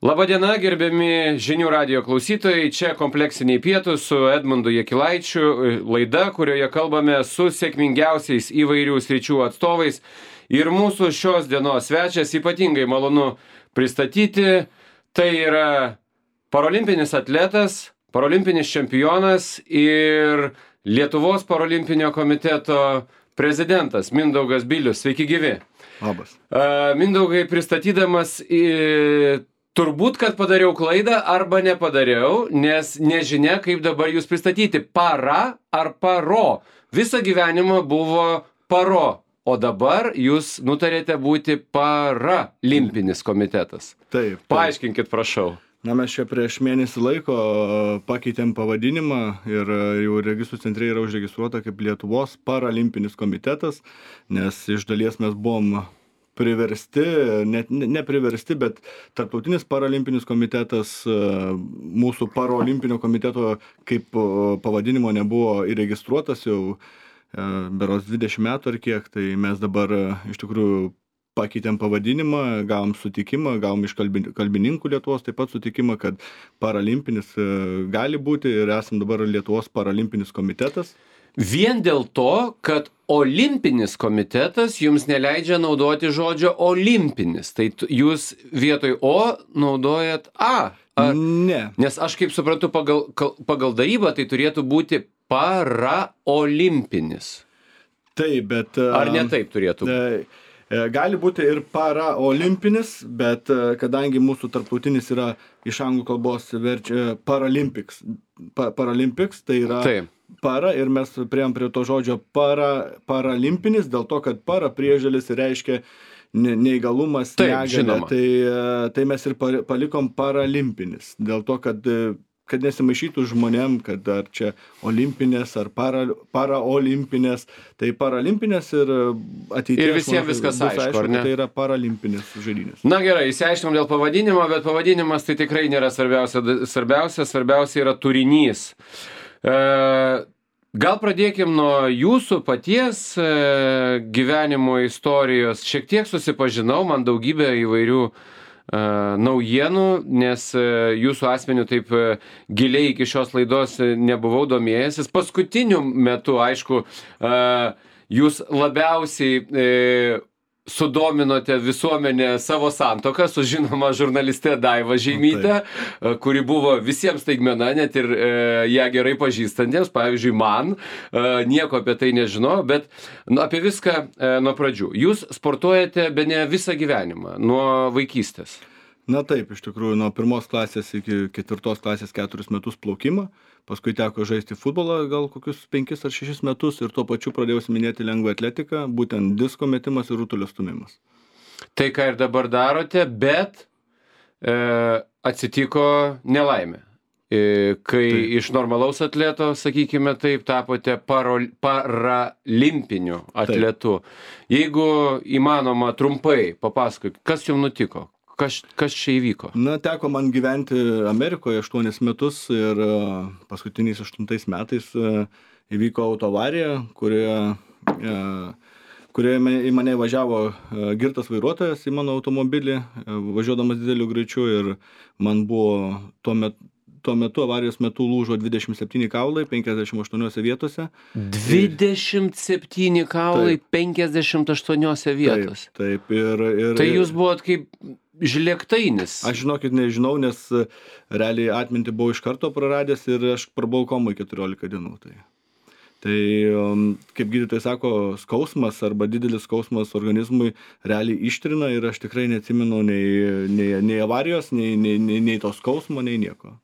Labadiena, gerbiami žinių radijo klausytojai, čia kompleksiniai pietūs su Edmundu Jakilaičiu, laida, kurioje kalbame su sėkmingiausiais įvairių sričių atstovais. Ir mūsų šios dienos svečias ypatingai malonu pristatyti, tai yra parolimpinis atletas, parolimpinis čempionas ir Lietuvos parolimpinio komiteto prezidentas Mindaugas Bilius. Sveiki gyvi. Labas. Mindaugai, pristatydamas turbūt, kad padariau klaidą arba nepadariau, nes nežinia, kaip dabar jūs pristatyti. Para ar paro? Visą gyvenimą buvo paro, o dabar jūs nutarėte būti paralimpinis komitetas. Taip. Paaiškinkit, prašau. Na, mes čia prieš mėnesį laiko pakeitėm pavadinimą ir jau registrų centre yra užregistruota kaip Lietuvos paralimpinis komitetas, nes iš dalies mes buvom priversti, ne priversti, bet Tarptautinis paralimpinis komitetas, mūsų parolimpinio komiteto kaip pavadinimo nebuvo įregistruotas jau berods 20 metų ar kiek, tai mes dabar iš tikrųjų pakeitėm pavadinimą, gavom sutikimą, gavom iš kalbininkų Lietuvos taip pat sutikimą, kad paralimpinis gali būti ir esam dabar Lietuvos paralimpinis komitetas. Vien dėl to, kad olimpinis komitetas jums neleidžia naudoti žodžio olimpinis, tai jūs vietoj O naudojat A. Ne. Nes aš kaip suprantu, pagal darybą tai turėtų būti paraolimpinis. Taip, bet... Ar ne taip turėtų būti? Gali būti ir paraolimpinis, bet kadangi mūsų tarptautinis yra iš anglų kalbos verčia Paralympics, tai yra Taip. para ir mes priėjom prie to žodžio paralimpinis, dėl to, kad para priežodis reiškia neįgalumas, negalia, tai mes ir palikom paralimpinis, dėl to, kad nesimaišytų žmonėm, kad ar čia olimpinės ar paraolimpinės, tai paralimpinės ir ateities. Ir visiems viskas aišku, ar ne? Tai yra paralimpinis žaidynės. Na gerai, išsiaiškinom dėl pavadinimo, bet pavadinimas tai tikrai nėra svarbiausia yra turinys. Gal pradėkim nuo jūsų paties gyvenimo istorijos. Šiek tiek susipažinau, man daugybė įvairių naujienų, nes jūsų asmeniu taip giliai iki šios laidos nebuvau domėjęsis. Paskutiniu metu, aišku, jūs labiausiai sudominote visuomenę savo santuoką su žinoma žurnaliste Daiva Žeimyte, kuri buvo visiems staigmena, net ir ją gerai pažįstantiems, pavyzdžiui, man, nieko apie tai nežinau, bet apie viską nuo pradžių. Jūs sportuojate bene visą gyvenimą, nuo vaikystės. Na taip, iš tikrųjų, nuo 1 klasės iki 4 klasės 4 metus plaukimą, paskui teko žaisti futbolą gal kokius 5 ar 6 metus ir tuo pačiu pradėjau siminėti lengvą atletiką, būtent disko metimas ir rutulio stūmimas. Tai ką ir dabar darote, bet atsitiko nelaimė. Kai iš normalaus atleto, sakykime taip, tapote paralimpiniu atletu. Jeigu įmanoma trumpai papasakok, kas jums nutiko? Kas čia įvyko? Na, teko man gyventi Amerikoje 8 metus ir paskutiniais 8 metais įvyko autoavarija, kurioje į mane važiavo girtas vairuotojas į mano automobilį, važiuodamas dideliu greičiu ir man buvo tuo metu avarijos metu lūžo 27 kaulai 58 vietose. 27 kaulai 58 vietose. Taip. Tai jūs buvot kaip žlėgtainis. Aš žinokit nežinau, nes realiai atmintį buvau iš karto praradęs ir aš prabuvau komoj 14 dienų. Tai kaip gydytojai sako, skausmas arba didelis skausmas organizmui realiai ištrina ir aš tikrai neatsimenu nei avarijos, nei to skausmo, nei nieko.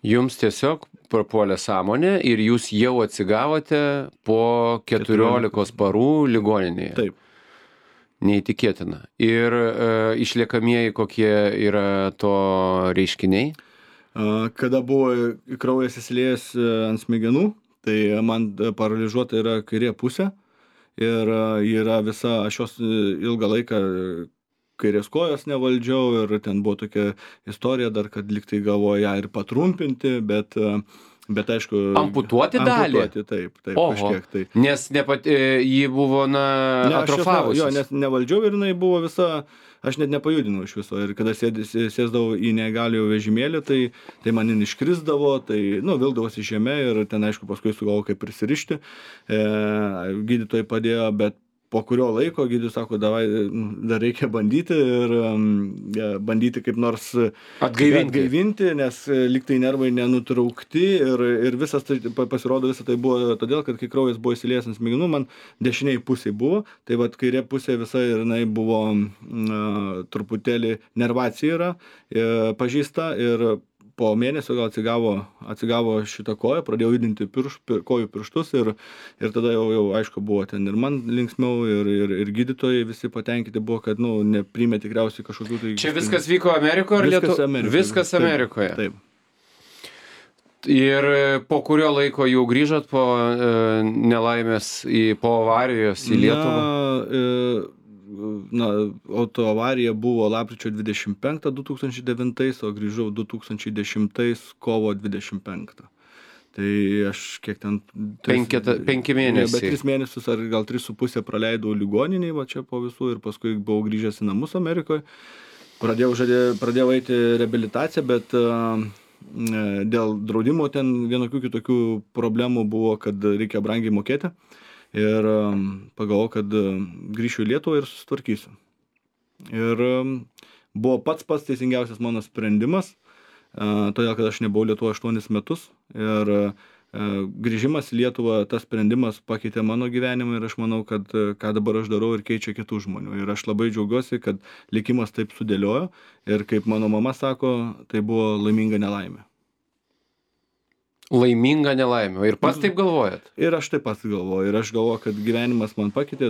Jums tiesiog prapuolė sąmonė ir jūs jau atsigavote po 14 parų ligoninėje. Taip. Neįtikėtina. Ir išliekamieji kokie yra to reiškiniai? Kada buvo kraujas įsiliejęs ant smegenų, tai man paralyžiuota yra kairė pusė ir yra visa, aš jos ilgą laiką kairės kojos nevaldžiau ir ten buvo tokia istorija dar, kad liktai galvoja ją ir patrumpinti, bet Bet aišku... Amputuoti dalį? Taip, Oho, kažkiek tai. Nes ji buvo, atrofavusi. Jo, nes nevaldžiau ir jinai buvo visa, aš net nepajudinau iš viso. Ir kada sėsdavau į neįgaliojo vežimėlį, tai manin iškrisdavo, tai, vildavosi žemė ir ten, aišku, paskui sugalvojau kaip prisirišti. Gydytojai padėjo, bet po kurio laiko gydytojas sako, davai, dar reikia bandyti ir bandyti kaip nors atgaivinti, nes lygtai nervai nenutraukti ir visas tai, pasirodo, visą tai buvo todėl, kad kai kraujas buvo įsiliejęs ant smegenų, man dešiniai pusė buvo, tai vat kairė pusė visa ir jinai buvo truputėlį nervacija yra pažįsta ir po mėnesio gal atsigavo šitą koją, pradėjau judinti kojų pirštus ir tada jau aišku buvo ten ir man linksmiau ir gydytojai visi patenkinti buvo, kad nepriėmė tikriausiai kažkokių tai... Čia viskas vyko Amerikoje ar Lietuvoje? Viskas Amerikoje. Taip. Ir po kurio laiko jau grįžot po nelaimės, po avarijos į Lietuvą? Autoavarija buvo lapkričio 25 2009, o grįžau 2010 kovo 25. Tai aš kiek ten... 5 mėnesiai. Bet 3 mėnesius ar gal 3,5 praleidau ligoniniai, va čia po visų ir paskui buvau grįžęs į namus Amerikoje. Pradėjau eiti reabilitaciją, bet dėl draudimo ten vienokių kitokių problemų buvo, kad reikia brangiai mokėti. Ir pagalvojau, kad grįšiu į Lietuvą ir susitvarkysiu. Ir buvo pats teisingiausias mano sprendimas, todėl, kad aš nebuvau Lietuvoje 8 metus. Ir grįžimas į Lietuvą, tas sprendimas pakeitė mano gyvenimą ir aš manau, kad ką dabar aš darau ir keičia kitų žmonių. Ir aš labai džiaugiuosi, kad likimas taip sudėliojo ir kaip mano mama sako, tai buvo laiminga nelaimė. Laiminga nelaimė. Ir pats taip galvojat? Ir aš taip pats galvoju. Ir aš galvoju, kad gyvenimas man pasikeitė,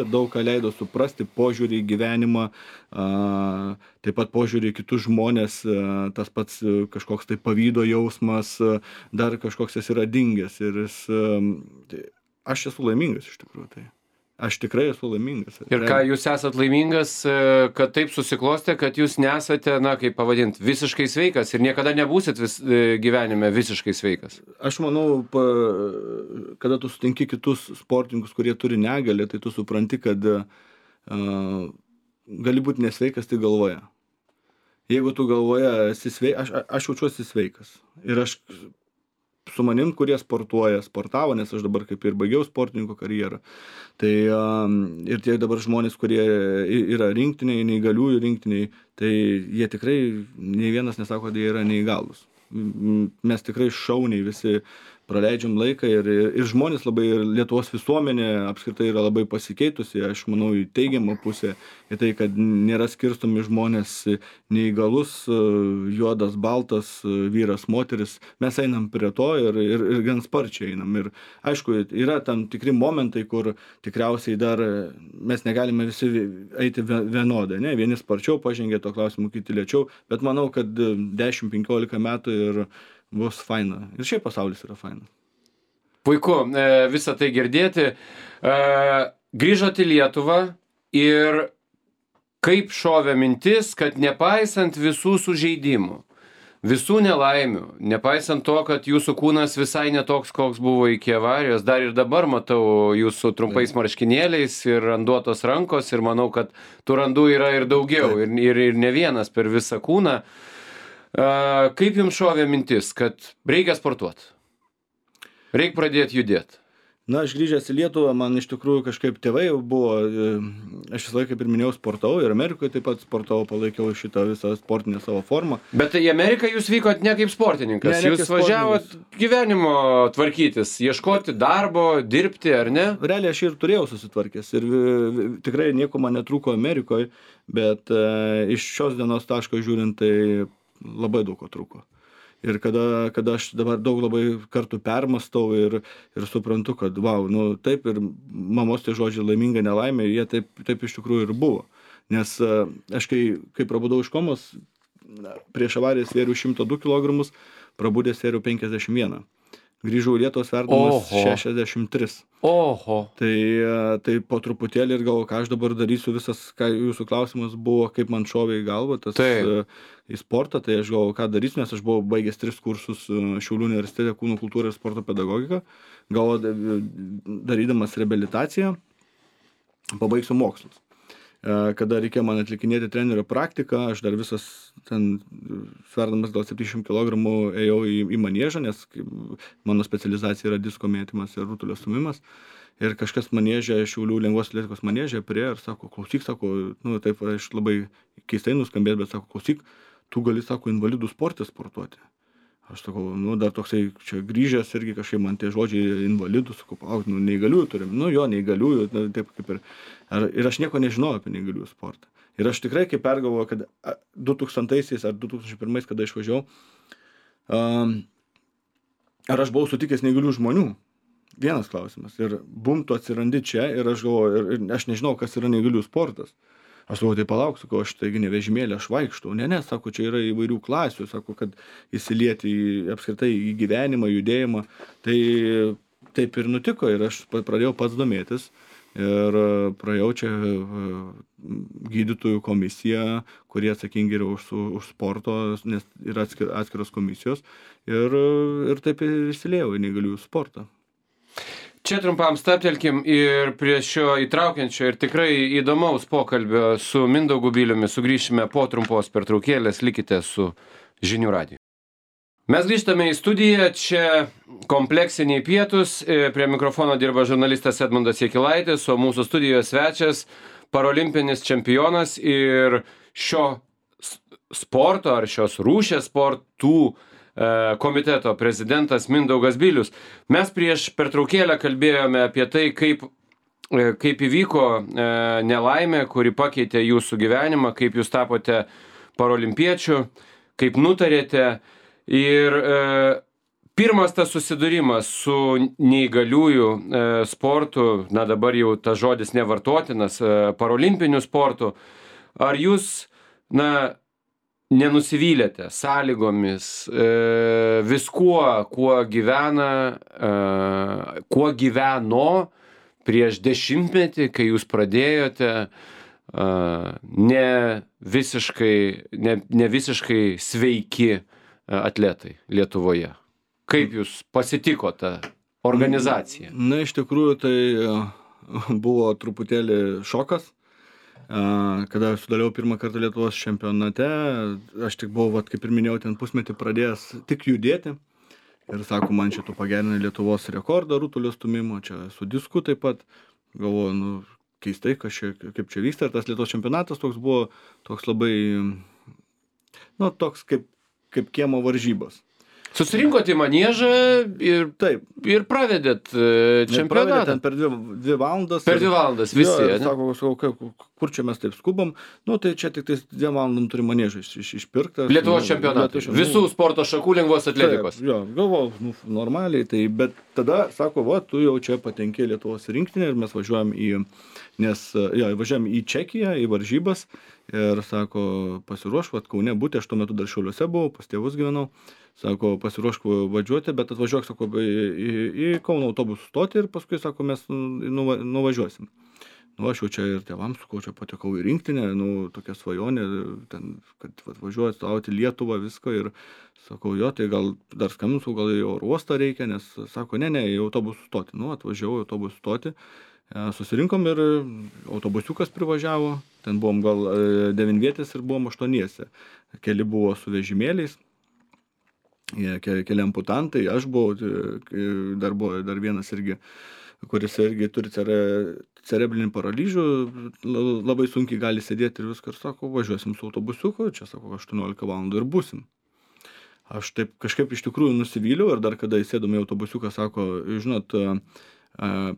daug ką leido suprasti požiūrį į gyvenimą, taip pat požiūrį į kitus žmonės, tas pats kažkoks tai pavydo jausmas, dar kažkoks jis yra dingęs. Ir aš esu laimingas iš tikrųjų. Tai. Aš tikrai esu laimingas. Ir ką jūs esat laimingas, kad taip susiklostė, kad jūs nesate, kaip pavadinti, visiškai sveikas ir niekada nebūsit gyvenime visiškai sveikas? Aš manau, kada tu sutinki kitus sportininkus, kurie turi negalią, tai tu supranti, kad gali būti nesveikas tik galvoje. Jeigu tu galvoje esi sveikas, aš jaučiuosi sveikas. Ir aš su manim, kurie sportavo, nes aš dabar kaip ir baigiau sportininko karjerą. Tai ir tie dabar žmonės, kurie yra rinktiniai, neįgaliųjų rinktiniai, tai jie tikrai, nei vienas nesako, kad jie yra neįgalūs. Mes tikrai šauniai visi praleidžiam laiką ir žmonės labai, ir Lietuvos visuomenė apskritai yra labai pasikeitusi, aš manau, į teigiamą pusę, į tai, kad nėra skirstomi žmonės neįgalus, juodas, baltas, vyras, moteris. Mes einam prie to ir gan sparčiai einam. Ir aišku, yra tam tikri momentai, kur tikriausiai dar mes negalime visi eiti vienodai, ne? Vieni sparčiau pažengė to klausimu, kiti lėčiau, bet manau, kad 10-15 metų ir bus faina. Ir šiaip pasaulis yra fainas. Puiku, visą tai girdėti. Grįžot į Lietuvą ir kaip šovė mintis, kad nepaisant visų sužeidimų, visų nelaimių, nepaisant to, kad jūsų kūnas visai netoks, koks buvo iki avarijos, dar ir dabar matau jūsų trumpais marškinėliais ir randuotos rankos ir manau, kad tų randų yra ir daugiau ir ne vienas per visą kūną. Kaip jums šovė mintis, kad reikia sportuoti? Reikia pradėti judėti? Na, aš grįžęs į Lietuvą, man iš tikrųjų kažkaip tėvai buvo, aš visą laiką, kaip ir minėjau, sportavau ir Amerikoje taip pat sportavau, palaikiau šitą visą sportinę savo formą. Bet į Ameriką jūs vykot ne kaip sportininkas, jūs važiavot gyvenimo tvarkytis, ieškoti darbo, dirbti, ar ne? Realiai aš ir turėjau susitvarkęs ir tikrai nieko man netrūko Amerikoje, bet iš šios dienos taško žiūrint, tai labai daug ko trūko. Ir kada aš dabar daug labai kartų permastau ir suprantu, kad taip ir mamos tie žodžiai laiminga nelaimė, jie taip iš tikrųjų ir buvo. Nes aš kai prabudau iš komos, prieš avariją svėriau 102 kg, prabudęs svėriau 51. Grįžau į Lietuvą sverdamas Oho. 63. Oho. Tai po truputėlį ir galvoju, ką aš dabar darysiu, visas, ką jūsų klausimas buvo, kaip man šovė į galvą tas Taip. į sportą, tai aš galvoju, ką darysiu, nes aš buvau baigęs 3 kursus Šiaulių universitete kūno kultūrą ir sporto pedagogiką, galvoju, darydamas reabilitaciją, pabaigsiu mokslus. Kada reikėjo man atlikinėti trenerio praktiką, aš dar visas ten sverdamas gal 700 kg ėjau į maniežą, nes mano specializacija yra disko mėtymas ir rutulio stumimas. Ir kažkas maniežė, Šiaulių lengvos atletikos maniežė priėjo ir sako, klausyk, sako, nu taip, aš labai keistai nuskambės, bet sako, klausyk, tu gali, sako, invalidų sporte sportuoti. Aš sakau, nu dar toksai čia grįžęs irgi kažkaip man tie žodžiai invalidų, sakau, nu neįgaliųjų turim, nu jo, neįgaliųjų, taip kaip ir aš nieko nežinojau apie neįgaliųjų sportą. Ir aš tikrai kaip pergalvoju, kad 2000 ar 2001, kada išvažiavau, ar aš buvau sutikęs neįgalių žmonių? Vienas klausimas. Ir bum, tu atsirandi čia ir aš galvoju, ir aš nežinau, kas yra neįgalių sportas. Aš sakau, tai palauk, sakau, aš taigi ne vežimėlį, aš vaikštau. Ne, sako, čia yra įvairių klasių, sako, kad įsilieti apskritai į gyvenimą, judėjimą. Tai taip ir nutiko ir aš pradėjau pats domėtis ir praėjau čia gydytojų komisiją, kurie atsakingi yra už sporto, nes yra atskiros komisijos ir taip įsiliejau į neįgaliųjų sportą. Čia trumpam stabtelkim ir prie šio įtraukiančio ir tikrai įdomaus pokalbio su Mindaugu Biliumi sugrįšime po trumpos pertraukėlės, likite su Žinių radiju. Mes grįžtame į studiją, čia kompleksiniai pietūs, prie mikrofono dirba žurnalistas Edmundas Jakilaitis, o mūsų studijos svečias parolimpinis čempionas ir šio sporto ar šios rūšies sportų komiteto prezidentas Mindaugas Bilius. Mes prieš pertraukėlę kalbėjome apie tai, kaip įvyko nelaimė, kuri pakeitė jūsų gyvenimą, kaip jūs tapote parolimpiečiu, kaip nutarėte. Ir pirmas tas susidūrimas su neįgaliųjų sportu, na dabar jau tas žodis nevartotinas, parolimpiniu sportu, ar jūs, nenusivylėte sąlygomis, viskuo, kuo gyveno prieš 10-metį, kai jūs pradėjote ne visiškai sveiki atletai Lietuvoje. Kaip jūs pasitiko tą organizaciją? Na, iš tikrųjų, tai buvo truputėlį šokas. Kada sudalyvavau pirmą kartą Lietuvos čempionate, aš tik buvau, kaip ir minėjau, ten pusmetį pradėjęs tik judėti. Ir sako, man šito pagerino Lietuvos rekordą rutulio stumimo, čia su disku taip pat. Galvoju, keistai, kaip čia vyksta. Ir tas Lietuvos čempionatas toks buvo, toks labai, toks kaip kiemo varžybos. Susirinkot į maniežą ir pravedėt čempionatą. Ten per 2 valandas. Per 2 valandas visi, ne? Sako, kur čia mes taip skubam? Tai čia tik 2 valandom turi maniežą išpirktą. Lietuvos čempionatą. Visų sporto šakų lengvos atletikos. Jo, galvojau, normaliai. Bet tada, sako, tu jau čia patenkė Lietuvos rinktinę ir mes važiuojam važiuojam į Čekiją, į varžybas. Ir sako, pasiruošk, Kaune būti, aš tuo metu dar Šiauliuose buvau, pas tėvus gyvenau. Sako, pasiruošk važiuoti, bet atvažiuok, sako, į Kauno autobusų stotį ir paskui, sako, mes nuvažiuosim. Aš jau čia ir tėvams, sakau, čia patekau į rinktinę, tokia svajonė, ten, kad važiuoju atstovauti Lietuvą, viską ir sakau, jo, tai gal dar skambinsiu, gal į oro uostą reikia, nes sako, ne, į autobusų stotį. Atvažiavau į autobusų stotį, susirinkom ir autobusiukas privažiavo, ten buvom gal 9 vietės ir buvom 8. Keli buvo su vežimėliais. Keli amputantai, aš buvau, buvo dar vienas irgi, kuris irgi turi cerebrinį paralyžių, labai sunkiai gali sėdėti ir viską, ir sako, važiuosim su autobusiuku, čia sako, 18 valandų ir būsim. Aš taip kažkaip iš tikrųjų nusivyliau ir dar kada įsėdom į autobusiuką, sako, žinot,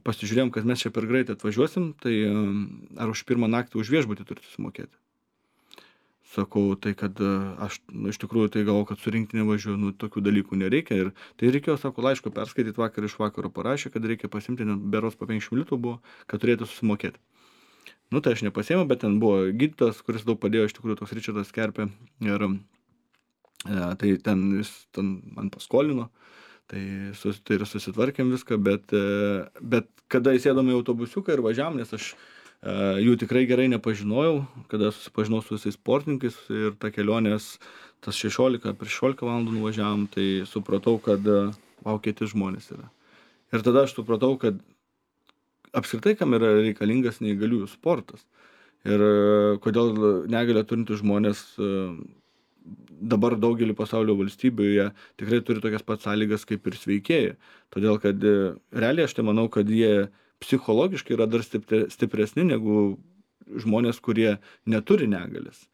pasižiūrėjom, kad mes čia per greitai atvažiuosim, tai ar už pirmą naktį už viešbutį turite sumokėti? Sakau, tai kad aš iš tikrųjų tai galvoju, kad su rinktinė važiuoju, tokių dalykų nereikia. Ir tai reikėjo, sako, laiško perskaityti vakar iš vakaro parašė, kad reikia pasimti, beros po 50 litų buvo, kad turėtų susimokėti. Tai aš nepasiėmiau, bet ten buvo gydytojas, kuris daug padėjo, iš tikrųjų toks Ričardas Kerpė. Ir tai ten jis man paskolino Tai ir susitvarkėm viską, bet kada įsėdome į autobusiuką ir važiavom, nes aš jų tikrai gerai nepažinojau, kada susipažinau su visais sportininkais ir ta kelionės, tas 16 valandų nuvažiavom, tai supratau, kad kiti žmonės yra. Ir tada aš supratau, kad apskritai kam yra reikalingas neįgaliųjų sportas. Ir kodėl negalią turintys žmonės dabar daugelį pasaulio valstybių jie tikrai turi tokias pat sąlygas kaip ir sveikieji. Todėl, kad realiai aš tai manau, kad jie psichologiškai yra dar stipresni negu žmonės, kurie neturi negalės.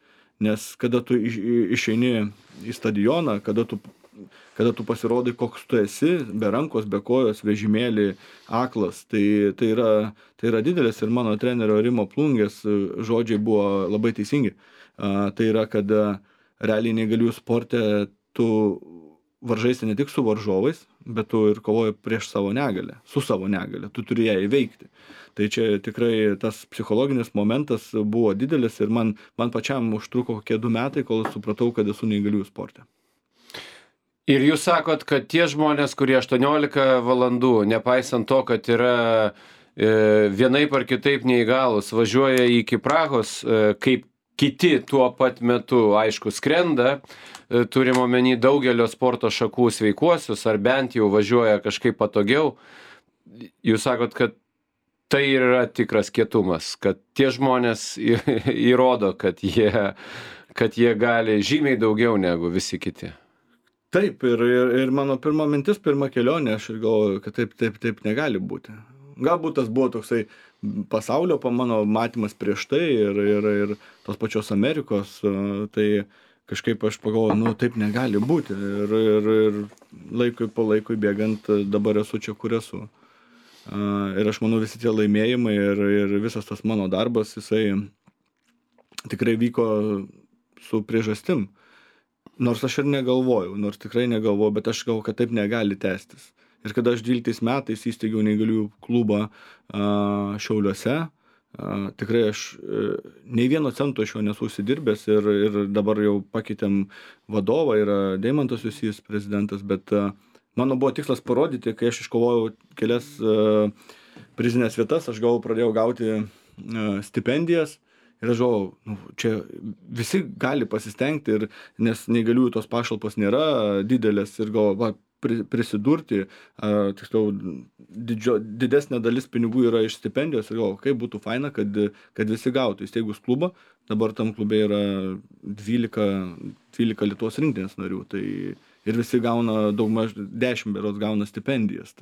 Nes kada tu išeini į stadioną, kada tu pasirodai, koks tu esi, be rankos, be kojos, vežimėlį, aklas, tai yra didelis ir mano trenerio Rimo Plungės žodžiai buvo labai teisingi. Tai yra, kad realiai neįgaliųjų sporte tu varžaisi ne tik su varžovais, bet tu ir kovoji prieš savo negalę, su savo negalę, tu turi ją įveikti. Tai čia tikrai tas psichologinis momentas buvo didelis ir man pačiam užtruko kokie 2 metai, kol supratau, kad esu neįgaliųjų sporte. Ir jūs sakot, kad tie žmonės, kurie 18 valandų, nepaisant to, kad yra vienaip ar kitaip neįgalus, važiuoja iki Prahos, kaip kiti tuo pat metu, aišku, skrenda, turim omeny daugelio sporto šakų sveikuosius, ar bent jau važiuoja kažkaip patogiau. Jūs sakot, kad tai yra tikras kietumas, kad tie žmonės įrodo, kad jie gali žymiai daugiau negu visi kiti. Taip, ir mano pirma mintis, pirma kelionė, aš ir galvoju, kad taip negali būti. Galbūt tas buvo toksai pasaulio mano matymas prieš tai ir tos pačios Amerikos, tai kažkaip aš pagalvoju, taip negali būti. Ir laikui po laikui bėgant dabar esu čia, kur esu. Ir aš manau, visi tie laimėjimai ir visas tas mano darbas, jisai tikrai vyko su priežastim. Nors aš ir negalvojau, bet aš galvoju, kad taip negali tęstis. Ir kada aš 12 metais įsteigiau neįgaliųjų klubą Šiauliuose, tikrai aš nei vieno cento iš jo nesu užsidirbęs ir dabar jau pakeitėm vadovą, yra Deimantas Jusys prezidentas, bet mano buvo tikslas parodyti, kai aš iškovojau kelias prizinės vietas, aš pradėjau gauti stipendijas. Ir aš galvoju, čia visi gali pasistengti, nes neįgaliųjų tos pašalpos nėra didelės ir galvoju, prisidurti, tiksliau, didesnė dalis pinigų yra iš stipendijos ir galvoju, kaip būtų faina, kad visi gautų. Įsteigus klubą, dabar tam klube yra 12 Lietuvos rinktinės narių, tai ir visi gauna daugmaž 10 berods gauna stipendijas.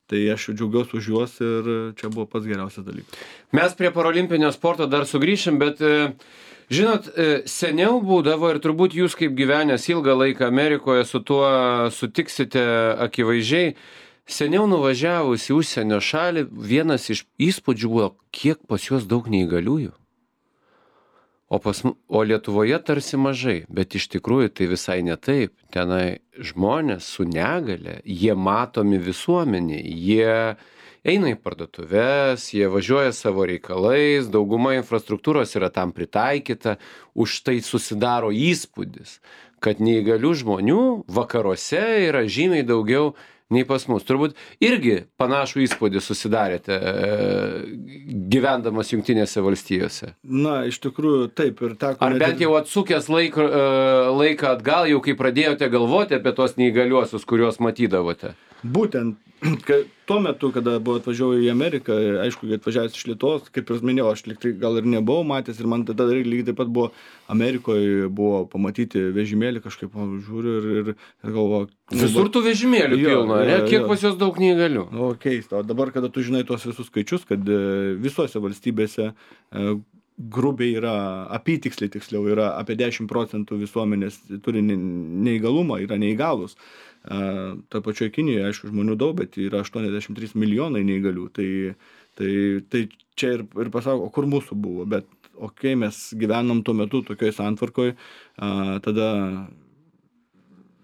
Tai aš džiaugiuosi už juos ir čia buvo pats geriausias dalykas. Mes prie parolimpinio sporto dar sugrįšim, bet žinot, seniau būdavo ir turbūt jūs kaip gyvenęs ilgą laiką Amerikoje su tuo sutiksite akivaizdžiai, seniau nuvažiavus į užsienio šalį, vienas iš įspūdžių buvo, kiek pas juos daug neįgaliųjų. O Lietuvoje tarsi mažai, bet iš tikrųjų tai visai ne taip. Tenai žmonės su negale, jie matomi visuomenė, jie eina į parduotuves, jie važiuoja savo reikalais, dauguma infrastruktūros yra tam pritaikyta, už tai susidaro įspūdis, kad neįgalių žmonių vakaruose yra žymiai daugiau nei pas mus. Turbūt irgi panašų įspūdį susidarėte gyvendamas Jungtinėse valstijose. Na, iš tikrųjų, taip ir teko. Ar bent jau atsukęs laiką atgal, jau kai pradėjote galvoti apie tos neįgaliuosius, kuriuos matydavote? Būtent, tuo metu, kada buvo atvažiavau į Ameriką, aišku, atvažiavęs iš Lietuvos, kaip ir minėjau, aš gal ir nebuvau matęs ir man tada lygiai taip pat buvo Amerikoje buvo pamatyti vežimėlį, kažkaip žiūriu ir galvoju. Visur tų vežimėlių pilna, ne? Kiek pas juos daug neįgalių? O keista, o dabar, kada tu žinai tuos visus skaičius, kad visose valstybėse grubiai yra, apytiksliai tiksliau, yra apie 10% visuomenės turi neįgalumą, yra neįgalus. Ta pačioje Kinijoje, aišku, žmonių daug, bet yra 83 milijonai neįgalių. Tai čia ir pasako, kur mūsų buvo, bet mes gyvenom tuo metu tokioj santvarkoj, tada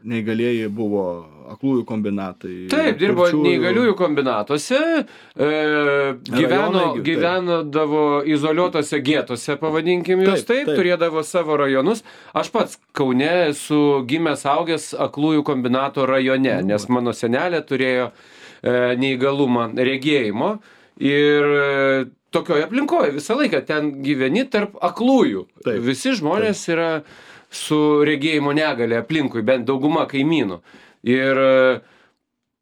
neįgalieji buvo aklųjų kombinatai. Taip, dirbo neįgaliųjų kombinatuose, gyvenodavo izoliuotose gėtose, pavadinkim jūs taip, turėdavo savo rajonus. Aš pats Kaune esu gimęs augęs aklųjų kombinato rajone, nes mano senelė turėjo neįgalumą regėjimo ir tokioje aplinkoje visą laiką ten gyveni tarp aklųjų. Taip, visi žmonės yra su regėjimo negale aplinkui, bent dauguma kaimynų. Ir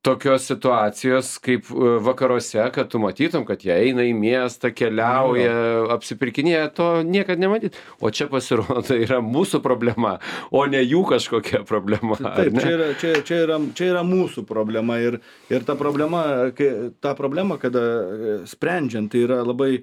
tokios situacijos kaip vakaruose, kad tu matytum, kad jie eina į miestą, keliauja, apsipirkinėja, to niekad nematyt. O čia pasirodo yra mūsų problema, o ne jų kažkokia problema. Taip, čia yra mūsų problema ir ta problema, kada sprendžiant, tai yra labai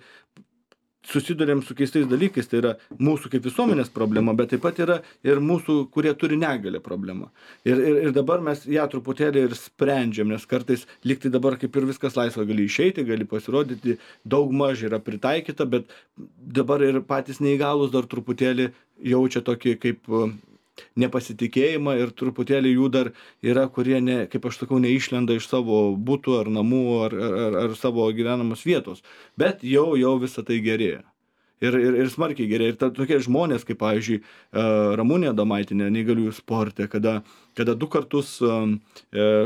susidurėm su keistais dalykais, tai yra mūsų kaip visuomenės problema, bet taip pat yra ir mūsų, kurie turi negalią problema. Ir dabar mes ją truputėlį ir sprendžiam, nes kartais liktai dabar kaip ir viskas laisva, gali išeiti, gali pasirodyti, daug maž yra pritaikyta, bet dabar ir patys neįgalūs dar truputėlį jaučia tokį kaip nepasitikėjimą ir truputėlį jų dar yra, kurie, kaip aš sakau, neišlenda iš savo butų ar namų ar savo gyvenamos vietos. Bet jau visą tai gerėja. Ir smarkiai gerėja. Ir tokie žmonės, kaip pavyzdžiui, Ramunė Adomaitinė neįgaliųjų sporte, kada 2 kartus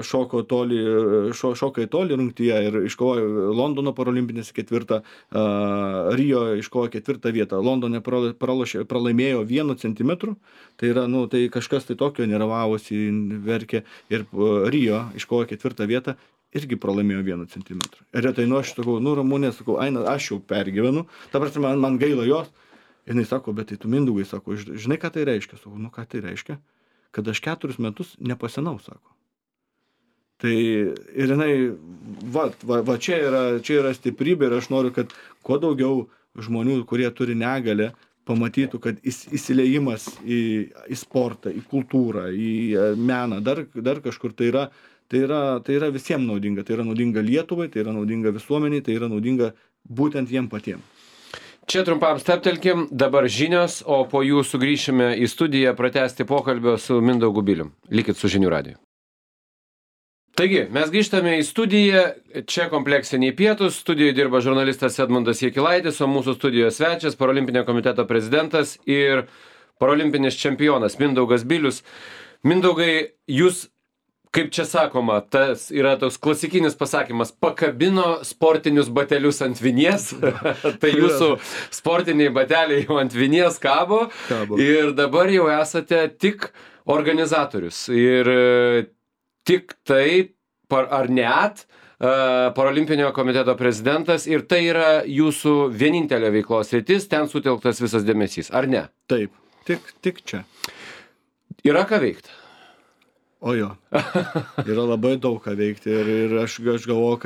šoka į tolį rungtyje ir iškovojo Londono parolimpinėse 4, Rio iškovojo 4 vietą. Londone pralaimėjo 1 centimetru, tai yra, tai kažkas tai tokio nervavosi, verkė, ir Rio iškovojo 4 vietą, irgi pralaimėjo 1 centimetrų. Ir retai aš sakau, Ramunė, sakau, Aina, aš jau pergyvenu, ta prasme, man gaila jos. Ir jinai sako, bet tai tu, Mindaugai, sako, žinai, ką tai reiškia? Sakau, ką tai reiškia? Kad aš 4 metus nepasenau, sako. Tai ir jinai, čia yra stiprybė ir aš noriu, kad kuo daugiau žmonių, kurie turi negalę, pamatytų, kad įsileimas į sportą, į kultūrą, į meną, dar kažkur tai yra visiems naudinga. Tai yra naudinga Lietuvai, tai yra naudinga visuomeniai, tai yra naudinga būtent jiem patiems. Čia trumpam steptelkim, dabar žinios, o po jų sugrįšime į studiją pratęsti pokalbio su Mindaugu Bilium. Likit su Žinių radiju. Taigi, mes grįžtame į studiją, čia kompleksiniai pietūs, studijoje dirba žurnalistas Edmundas Jakilaitis, o mūsų studijos svečias, Parolimpinio komiteto prezidentas ir parolimpinis čempionas Mindaugas Bilius. Mindaugai, jūs, kaip čia sakoma, tas yra toks klasikinis pasakymas, pakabino sportinius batelius ant vinies, tai jūsų sportiniai bateliai jau ant vinies kabo. Ir dabar jau esate tik organizatorius ir tik tai, ar net, Parolimpinio komiteto prezidentas ir tai yra jūsų vienintelė veiklos sritis, ten sutelktas visas dėmesys, ar ne? Taip, tik čia. Yra ką veikti? O jo, yra labai daug ką veikti ir aš galvoju,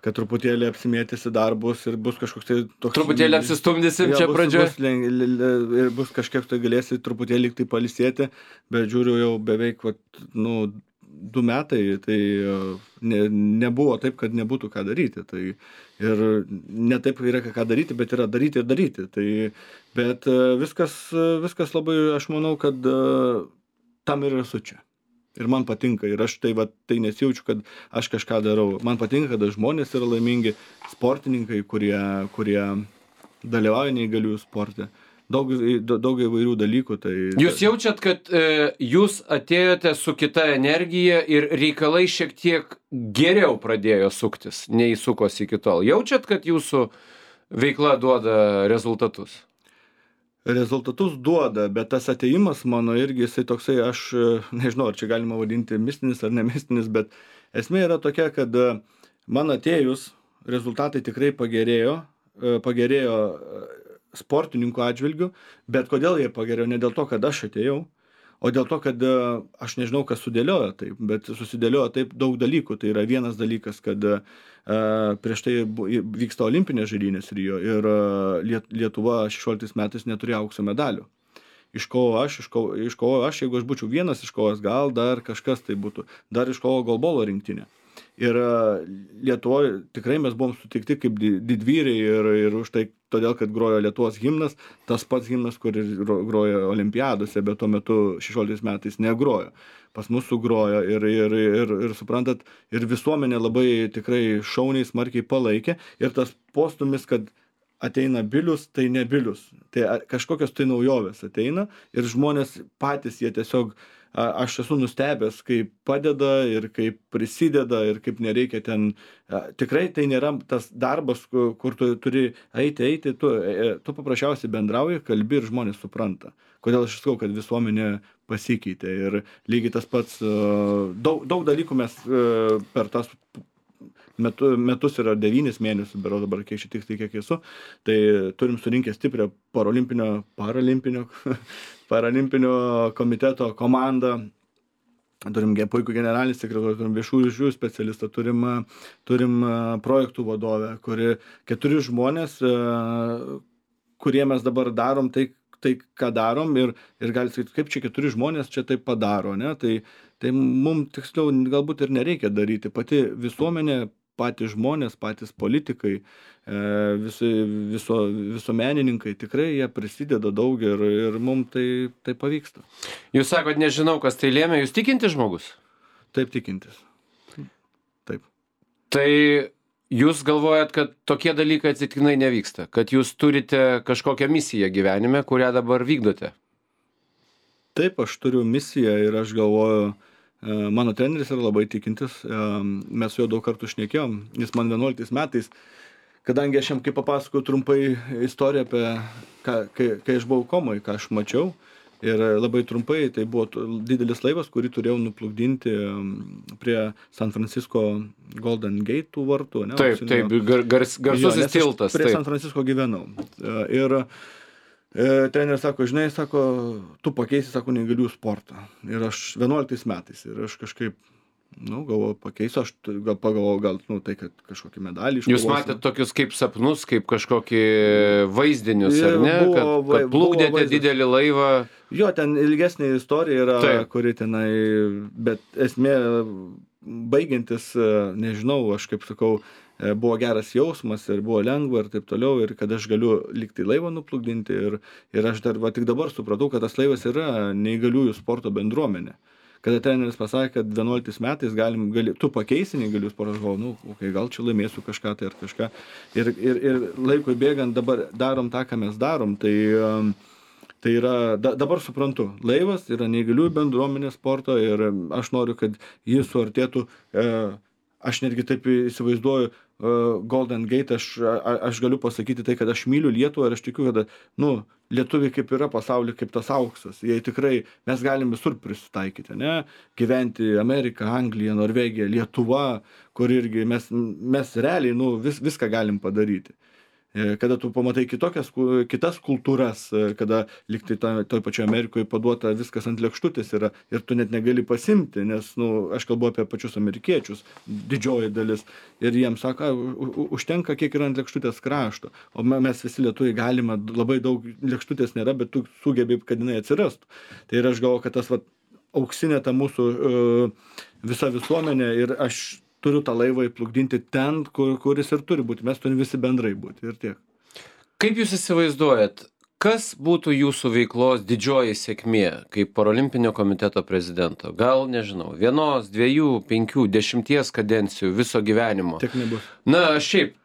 kad truputėlį apsimėtysi darbus ir bus kažkoks tai toks... Truputėlį apsistumdysim čia pradžioje. Ir bus kažkiek tai galėsi truputėlį tai palisėti, bet žiūriu jau beveik 2 metai, tai nebuvo taip, kad nebūtų ką daryti. Tai ir ne taip yra ką daryti, bet yra daryti ir daryti. Tai, bet viskas labai, aš manau, kad tam ir esu čia. Ir man patinka, ir aš tai nesijaučiu, kad aš kažką darau. Man patinka, kad žmonės yra laimingi, sportininkai, kurie dalyvauja neįgaliųjų sporte. Daug įvairių dalykų. Tai... Jūs jaučiat, kad jūs atėjote su kita energija ir reikalai šiek tiek geriau pradėjo suktis, nei sukosi iki tol. Jaučiat, kad jūsų veikla duoda rezultatus? Rezultatus duoda, bet tas atėjimas mano irgi, jisai toksai, aš nežinau, ar čia galima vadinti mistinis ar nemistinis, bet esmė yra tokia, kad man atėjus rezultatai tikrai pagerėjo sportininkų atžvilgių, bet kodėl jie pagerėjo? Ne dėl to, kad aš atėjau, o dėl to, kad aš nežinau, kas sudėliojo taip, bet susidėliojo taip daug dalykų. Tai yra vienas dalykas, kad prieš tai vyksta olimpinės žaidynės Rio ir Lietuva 16 metais neturėjo aukso medalių. iškovojau aš, jeigu aš būčiau vienas iškovojęs, gal dar kažkas tai būtų, dar iškovojo golbolo rinktinė. Ir Lietuvoje tikrai mes buvom sutikti kaip didvyriai ir už tai, todėl, kad grojo Lietuvos himnas, tas pats himnas, kur grojo olimpiadose, bet tuo metu 16 metais negrojo. Pas mus sugrojo ir suprantat, ir visuomenė labai tikrai šauniai smarkiai palaikė ir tas postumis, kad ateina Bilius, tai ne Bilius. Tai kažkokios tai naujovės ateina ir žmonės patys jie tiesiog, aš esu nustebęs, kaip padeda ir kaip prisideda ir kaip nereikia ten, tikrai tai nėra tas darbas, kur tu turi eiti, tu paprasčiausiai bendrauji, kalbi ir žmonės supranta. Kodėl aš sakau, kad visuomenė pasikeitė ir lygiai tas pats, daug dalykų mes per tas metus yra 9 mėnesių, berods dabar kiek šiek tiek kiek esu, tai turim surinkę stiprią paralimpinio komiteto komandą, turim puikų generalinį sekretorių, turim viešųjų ryšių specialistą, turim projektų vadovę, kuri 4 žmonės, kurie mes dabar darom tai ką darom ir gali sakyti, kaip čia 4 žmonės čia taip padaro, ne? Tai mums tiksliau galbūt ir nereikia daryti. Pati visuomenė, patys žmonės, patys politikai, visuomenininkai, tikrai jie prisideda daug ir mums tai pavyksta. Jūs sakot, nežinau, kas tai lėmė, jūs tikintis žmogus? Taip, tikintis. Taip. Tai jūs galvojat, kad tokie dalykai atsitiktinai nevyksta, kad jūs turite kažkokią misiją gyvenime, kurią dabar vykdote? Taip, aš turiu misiją ir aš galvoju, mano treneris yra labai tikintis, mes su juo daug kartų šnekėjom, jis man 11 metais, kadangi aš jam kaip papasakojau trumpai istoriją apie, kai aš buvau komoj, ką aš mačiau, ir labai trumpai, tai buvo didelis laivas, kurį turėjau nuplukdinti prie San Francisco Golden Gate vartų. Ne? Taip, garsusis tiltas. Prie San Francisco gyvenau. Ir treneris sako, žinai, sako, tu pakeisi, sako, neįgaliųjų sportą. Ir aš 11 metais, ir aš kažkaip, galvoju, pakeisiu, aš gal pagalvoju, tai, kad kažkokį medalį iškovosiu. Jūs matėte tokius kaip sapnus, kaip kažkokį vaizdinius, ar ne? Kad plukdėte didelį laivą. Jo, ten ilgesnė istorija yra, kuri tenai, bet esmė, baigiantis, nežinau, aš kaip sakau, buvo geras jausmas ir buvo lengva ir taip toliau, ir kad aš galiu likti laivą nuplukdinti ir aš tik dabar supratau, kad tas laivas yra neįgaliųjų sporto bendruomenė. Kada treneris pasakė, kad 11 metais tu pakeisi neįgaliųjų sportą, aš galvoju, gal čia laimėsiu kažką tai ar kažką. Ir laikui bėgant dabar darom tą, ką mes darom, tai yra, dabar suprantu, laivas yra neįgaliųjų bendruomenė sporto ir aš noriu, kad jis suartėtų, aš netgi taip įsivaizduoju, Golden Gate, aš galiu pasakyti tai, kad aš myliu Lietuvą ir aš tikiu, kad lietuviai kaip yra pasaulyje, kaip tas auksas. Jie tikrai, mes galim visur prisitaikyti, ne? Gyventi Amerika, Anglija, Norvegija, Lietuva, kur irgi mes realiai viską galim padaryti. Kada tu pamatai kitas kultūras, kada liktai toj pačioje Amerikoje paduota viskas ant lėkštutės yra ir tu net negali pasimti, nes, aš kalbu apie pačius amerikiečius, didžioji dalis, ir jiems sako, užtenka kiek yra ant lėkštutės krašto, o mes visi lietuviai galime, labai daug lėkštutės nėra, bet tu sugebi, kad jinai atsirastų. Tai ir aš galvoju, kad tas auksinė ta mūsų visa visuomenė ir aš turiu tą laivą įplukdinti ten, kuris ir turi būti. Mes turim visi bendrai būti ir tiek. Kaip jūs įsivaizduojat, kas būtų jūsų veiklos didžioji sėkmė kaip Parolimpinio komiteto prezidento? Gal, nežinau, 1, 2, 5, 10 kadencijų viso gyvenimo? Tiek nebus. Na, šiaip,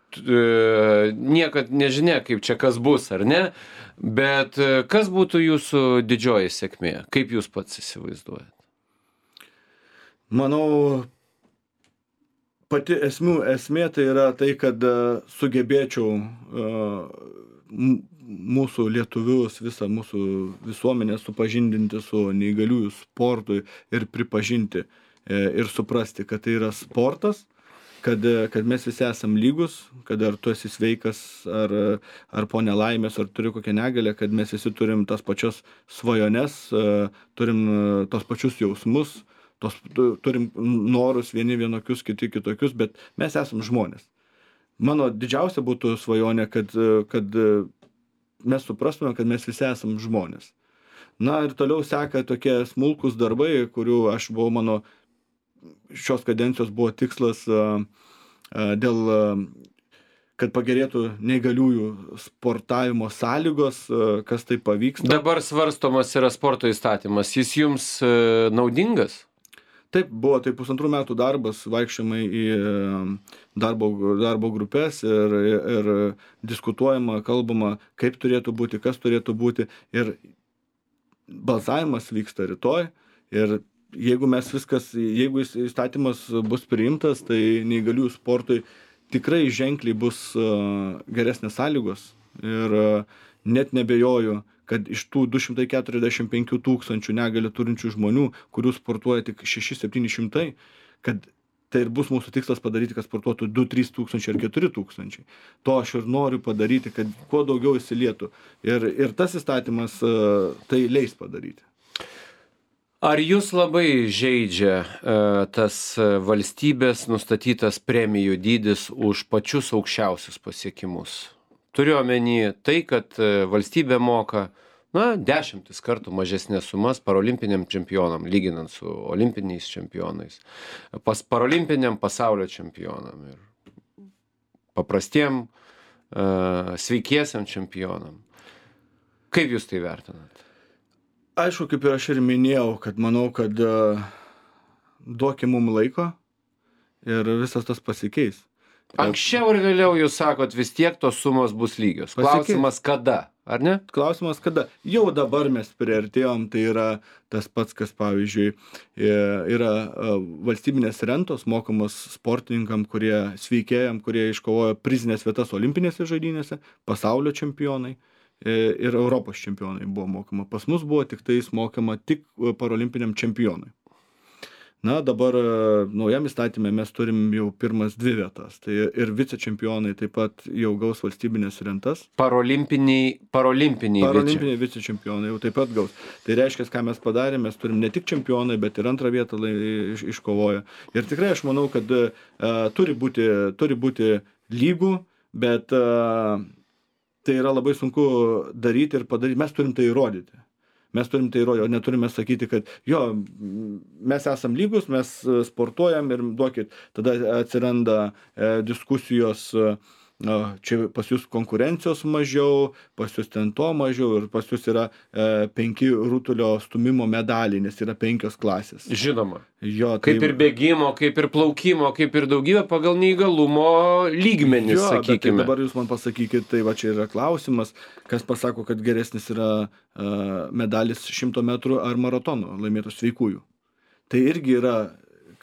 niekad nežinia, kaip čia kas bus, ar ne? Bet kas būtų jūsų didžioji sėkmė? Kaip jūs pats įsivaizduojat? Manau, pati esmė tai yra tai, kad sugebėčiau mūsų lietuvius, visą mūsų visuomenę supažindinti su neįgaliųjų sportui ir pripažinti ir suprasti, kad tai yra sportas, kad mes visi esam lygus, kad ar tu esi sveikas, ar po nelaimės, ar turi kokią negalę, kad mes visi turim tas pačias svajones, turim tos pačius jausmus, turim norus vieni vienokius, kiti kitokius, bet mes esam žmonės. Mano didžiausia būtų svajonė, kad mes suprastume, kad mes visi esam žmonės. Na ir toliau seka tokie smulkūs darbai, kurių aš buvau, mano šios kadencijos buvo tikslas dėl, kad pagerėtų neįgaliųjų sportavimo sąlygos, kas tai pavyksta. Dabar svarstomas yra sporto įstatymas. Jis jums naudingas? Taip, buvo tai 1,5 metų darbas, vaikščiojimai į darbo grupės ir diskutuojama, kalbama, kaip turėtų būti, kas turėtų būti. Ir balsavimas vyksta rytoj. Ir jeigu jeigu įstatymas bus priimtas, tai neįgaliųjų sportui tikrai ženkliai bus geresnės sąlygos. Ir net nebejoju, kad iš tų 245 000 negalią turinčių žmonių, kurių sportuoja tik 600-700, kad tai ir bus mūsų tikslas padaryti, kad sportuotų 2-3 tūkstančiai ar 4 tūkstančiai. To aš ir noriu padaryti, kad kuo daugiau įsilietų. Ir tas įstatymas tai leis padaryti. Ar jūs labai žeidžia tas valstybės nustatytas premijų dydis už pačius aukščiausius pasiekimus? Turiu omeny tai, kad valstybė moka 10 kartų mažesnės sumas parolimpiniam čempionam, lyginant su olimpiniais čempionais, parolimpiniam pasaulio čempionam ir paprastiem sveikiesiam čempionam. Kaip jūs tai vertinat? Aišku, kaip ir aš ir minėjau, kad manau, kad duokim mum laiko ir visas tas pasikeis. Anksčiau ir vėliau jūs sakot, vis tiek tos sumos bus lygios. Klausimas kada, ar ne? Klausimas kada. Jau dabar mes priartėjom, tai yra tas pats, kas pavyzdžiui yra valstybinės rentos mokamos sportininkam, sveikėjam, kurie iškovojo prizinės vietas olimpinėse žaidynėse, pasaulio čempionai ir Europos čempionai buvo mokama. Pas mus buvo tik tais mokama tik parolimpiniam čempionui. Na, dabar naujam įstatymė mes turim jau pirmas 2 vietas. Tai ir vicečempionai taip pat jau gaus valstybinės rentas. Parolimpiniai vicečempionai jau taip pat gaus. Tai reiškia, ką mes padarėme, mes turim ne tik čempionai, bet ir antrą vietą iškovoję. Ir tikrai aš manau, kad turi būti lygų, bet tai yra labai sunku daryti ir padaryti. Mes turim tai įrodyti. O neturime sakyti, kad mes esam lygus, mes sportuojam ir duokit. Tada atsiranda diskusijos, čia pas jūs konkurencijos mažiau, pas jūs ten to mažiau ir pas jūs yra 5 rutulio stumimo medaliai, nes yra 5 klasės. Žinoma. Kaip ir bėgimo, kaip ir plaukimo, kaip ir daugybė pagal neįgalumo lygmenis, sakykime. Bet dabar jūs man pasakykit, tai va čia yra klausimas, kas pasako, kad geresnis yra medalis 100 metrų ar maratono laimėtų sveikųjų. Tai irgi yra,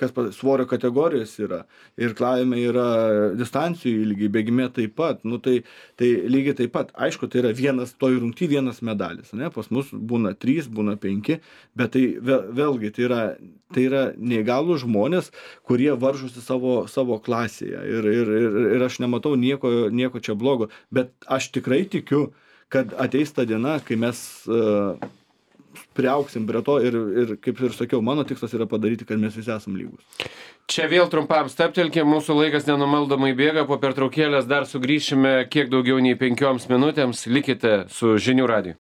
kas svorio kategorijos yra, ir klavime yra distancijų ilgiai, bėgime taip pat, tai lygiai taip pat. Aišku, tai yra toj rungty vienas medalis, ne? Pas mus būna 3, būna 5, bet tai vėlgi tai yra neįgalūs žmonės, kurie varžosi savo klasėje ir aš nematau nieko čia blogo, bet aš tikrai tikiu, kad ateis ta diena, kai mes priaugsim prie to ir kaip ir sakiau, mano tikslas yra padaryti, kad mes visi esam lygus. Čia vėl trumpam stabtelkim, mūsų laikas nenumaldomai bėga, po pertraukėlės dar sugrįšime kiek daugiau nei 5 minutėms, likite su Žinių radiju.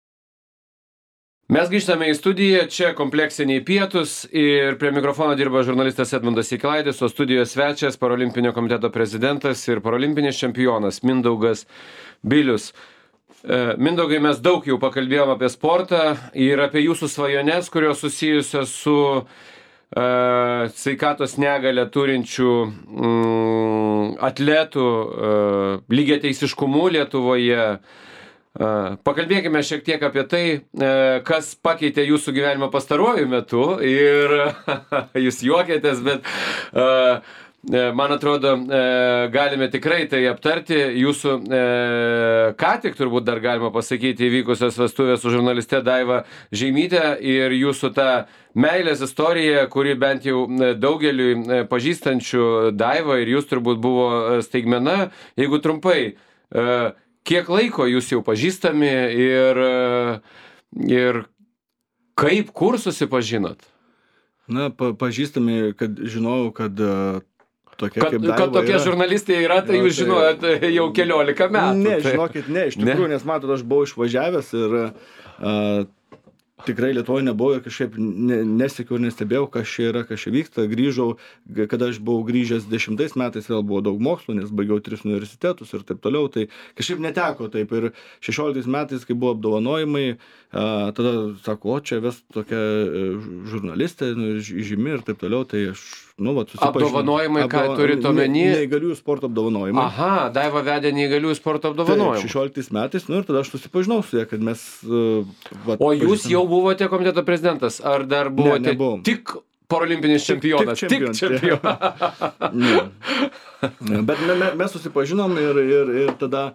Mes grįžtame į studiją, čia kompleksiniai pietūs ir prie mikrofono dirba žurnalistas Edmundas Jakilaitis, o studijos svečias Parolimpinio komiteto prezidentas ir parolimpinis čempionas Mindaugas Bilius. Mindaugai, mes daug jau pakalbėjom apie sportą ir apie jūsų svajones, kurios susijusios su sveikatos negalią turinčių atletų lygiateisiškumu Lietuvoje. Pakalbėkime šiek tiek apie tai, kas pakeitė jūsų gyvenimą pastaruoju metu ir jūs juokėtės, bet man atrodo, galime tikrai tai aptarti. Jūsų ką tik turbūt dar galima pasakyti įvykusios vestuvės su žurnaliste Daiva Žeimytė ir jūsų ta meilės istorija, kuri bent jau daugeliui pažįstančių Daivą ir jūs turbūt buvo staigmena. Jeigu trumpai, kiek laiko jūs jau pažįstami ir kaip, kur susipažinot? Na, pažįstami, kad žinojau, kad tokia kaip Daiva kad tokie žurnalistai yra, tai jūs žinojot jau 14 metų. Ne, žinokit, ne, iš tikrųjų, nes matot, aš buvau išvažiavęs ir tikrai Lietuvoje nebuvau ir kažkaip nesekiau ir nestebėjau, kas čia yra, kas čia vyksta. Grįžau, kada aš buvau grįžęs 10 metais, vėl buvo daug mokslo, nes baigiau 3 universitetus ir taip toliau, tai kažkaip neteko taip. Ir 16 metais, kai buvo apdovanojimai, tada sako, o čia ves tokia žurnalistė, žymi ir taip toliau, tai aš, susipažinau. Apdovanojimai, ką turit omeny? Neįgaliųjų sporto apdovanojimai. Aha, Daiva vedė neįgaliųjų sporto apdovanojimai. Taip, 16 metais, ir tada aš susipažinau su ja, kad mes... O jūs jau buvote komiteto prezidentas, ar dar buvote tik parolimpinis čempionas? Tik čempionas. Bet mes susipažinom ir tada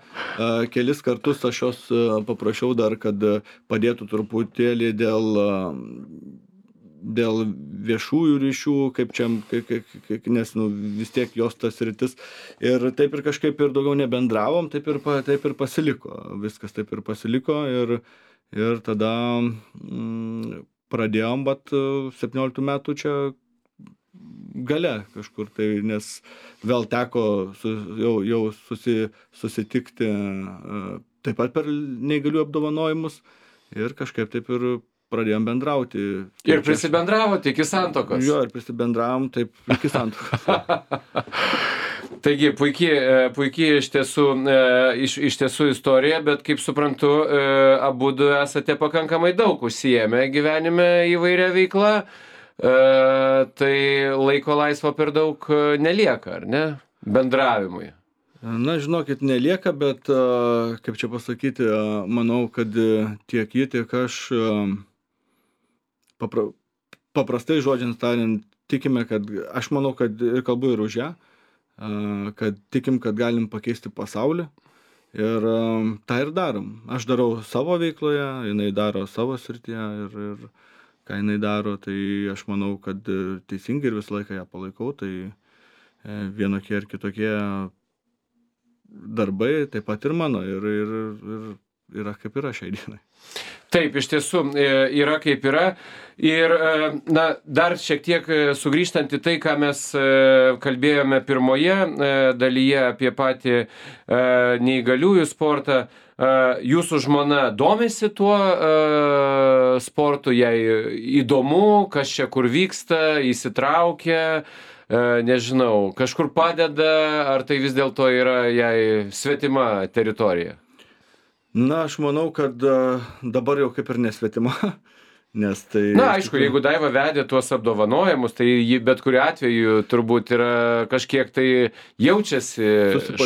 kelis kartus aš jos paprašiau dar, kad padėtų truputėlį dėl viešųjų ryšių, kaip čia, nes vis tiek jos tas sritis. Ir taip ir kažkaip ir daugiau nebendravom, taip ir pasiliko. Viskas taip ir pasiliko ir tada pradėjom, bet 17 metų čia gale kažkur, tai nes vėl teko jau susitikti taip pat per neįgalių apdovanojimus ir kažkaip taip ir pradėjom bendrauti. Ir prisibendravote iki santuokos. Jo, ir prisibendravom taip iki santuokos. Taigi, puikiai iš tiesų istorija, bet kaip suprantu, abudu esate pakankamai daug užsiėmę gyvenime įvairia veikla, tai laiko laisvo per daug nelieka, ar ne? Bendravimui. Na, žinokit, nelieka, bet, kaip čia pasakyti, manau, kad tiek jie, tiek aš paprastai žodžiant tariant, tikime, kad aš manau, kad ir kalbu ir už ją, kad tikim, kad galim pakeisti pasaulį ir tą ir darom. Aš darau savo veikloje, jinai daro savo srityje ir ką jinai daro, tai aš manau, kad teisingai ir visą laiką ją palaikau, tai vienokie ir kitokie darbai taip pat ir mano ir yra kaip yra šiai dienai. Taip, iš tiesų yra kaip yra. Ir dar šiek tiek sugrįžtant į tai, ką mes kalbėjome pirmoje dalyje apie patį neįgaliųjų sportą, jūsų žmona domisi tuo sportu, jai įdomu, kas čia kur vyksta, įsitraukia, nežinau, kažkur padeda, ar tai vis dėlto yra jai svetima teritorija? Na, aš manau, kad dabar jau kaip ir nesvetima, nes tai... Na, aišku, jeigu Daiva vedė tuos apdovanojimus, tai ji bet kuriuo atveju turbūt yra kažkiek tai jaučiasi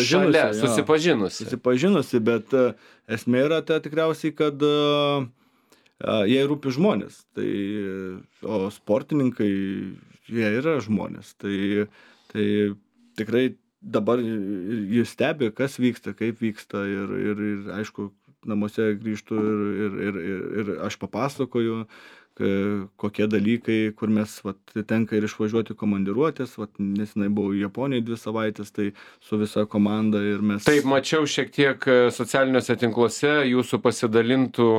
šalia, susipažinusi, bet esmė yra ta tikriausiai, kad jai rūpi žmonės, o sportininkai, jie yra žmonės, tai tikrai dabar jis stebi, kas vyksta, kaip vyksta ir aišku, namuose grįžtu ir aš papasakoju, kokie dalykai, kur mes tenka ir išvažiuoti komandiruotės, nesenai buvau Japonijoje 2 savaitės, tai su visa komanda ir mes... Taip, mačiau šiek tiek socialiniuose tinkluose jūsų pasidalintų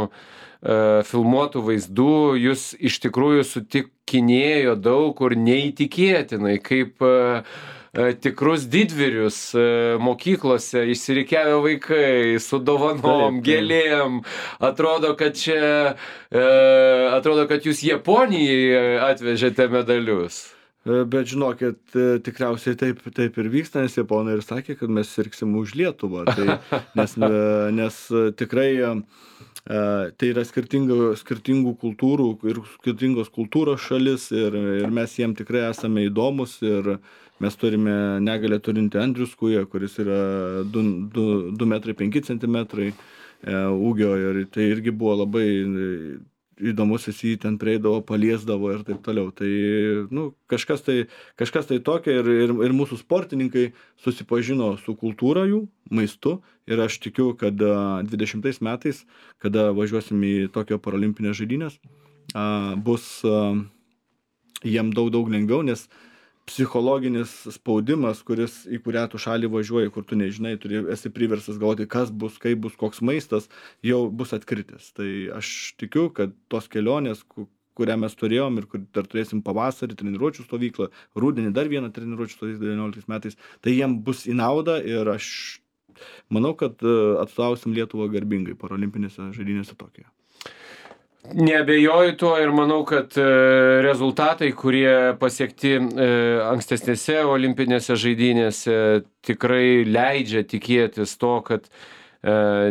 filmuotų vaizdų, jūs iš tikrųjų sutikinėjo daug kur neįtikėtinai, kaip tikrus didvyrius mokyklose išsirikiavę vaikai su dovanom, gėlėm. Atrodo, kad jūs Japonijai atvežėte medalius. Bet žinokit, tikriausiai taip ir vyksta, nes Japonai ir sakė, kad mes sirgsim už Lietuvą. Nes tikrai tai yra skirtingų kultūrų ir skirtingos kultūros šalis ir mes jiem tikrai esame įdomus ir mes turime negalę turinti Andrius Kuja, kuris yra 2 metrai 5 centimetrai ūgio ir tai irgi buvo labai įdomus, jis jį ten prieidavo, paliesdavo ir taip toliau. Tai kažkas tai tokio ir mūsų sportininkai susipažino su kultūra jų, maistu ir aš tikiu, kad 20 metais, kada važiuosim į Tokijo parolimpinės žaidynės, bus jiem daug lengviau, nes psichologinis spaudimas, į kurią tu šalį važiuoji, kur tu nežinai, esi priverstas galvoti, kas bus, kaip bus, koks maistas, jau bus atkritęs. Tai aš tikiu, kad tos kelionės, kurią mes turėjom ir kur dar turėsim pavasarį treniruočių stovyklą, rudenį dar vieną treniruočių stovyklą 19 metais, tai jiem bus į naudą ir aš manau, kad atstovausim Lietuvą garbingai parolimpinėse žaidynėse Tokijoje. Neabejoju tuo ir manau, kad rezultatai, kurie pasiekti ankstesnėse olimpinėse žaidynėse, tikrai leidžia tikėtis to, kad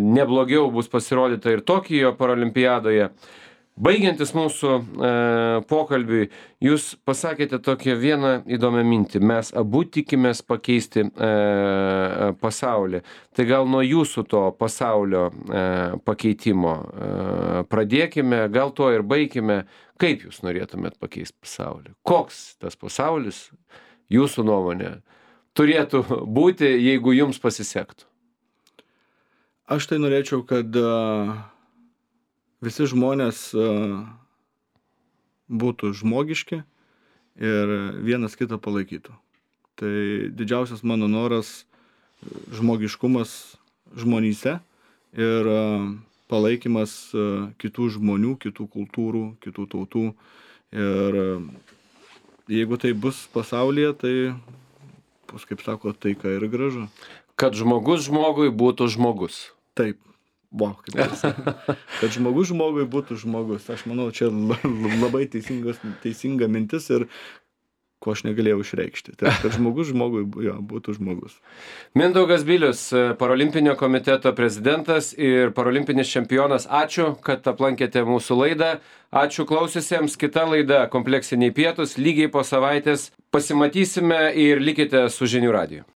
neblogiau bus pasirodyta ir Tokijo paralimpiadoje. Baigiantis mūsų pokalbiui, jūs pasakėte tokią vieną įdomią mintį. Mes abu tikimės pakeisti pasaulį. Tai gal nuo jūsų to pasaulio pakeitimo pradėkime, gal to ir baigime. Kaip jūs norėtumėt pakeisti pasaulį? Koks tas pasaulis, jūsų nuomonė, turėtų būti, jeigu jums pasisektų? Aš tai norėčiau, kad visi žmonės būtų žmogiški ir vienas kitą palaikytų. Tai didžiausias mano noras - žmogiškumas žmonyse ir palaikymas kitų žmonių, kitų kultūrų, kitų tautų. Ir jeigu tai bus pasaulyje, tai bus, kaip sako, taika ir gražu. Kad žmogus žmogui būtų žmogus. Taip. Wow, kaip kad žmogus žmogui būtų žmogus. Aš manau, čia labai teisinga mintis ir ko aš negalėjau išreikšti. Tai kad žmogus žmogui būtų žmogus. Mindaugas Bilius, Parolimpinio komiteto prezidentas ir parolimpinis čempionas. Ačiū, kad aplankėte mūsų laidą. Ačiū klausiusiems. Kita laida Kompleksiniai pietūs. Lygiai po savaitės pasimatysime ir likite su Žinių radiju.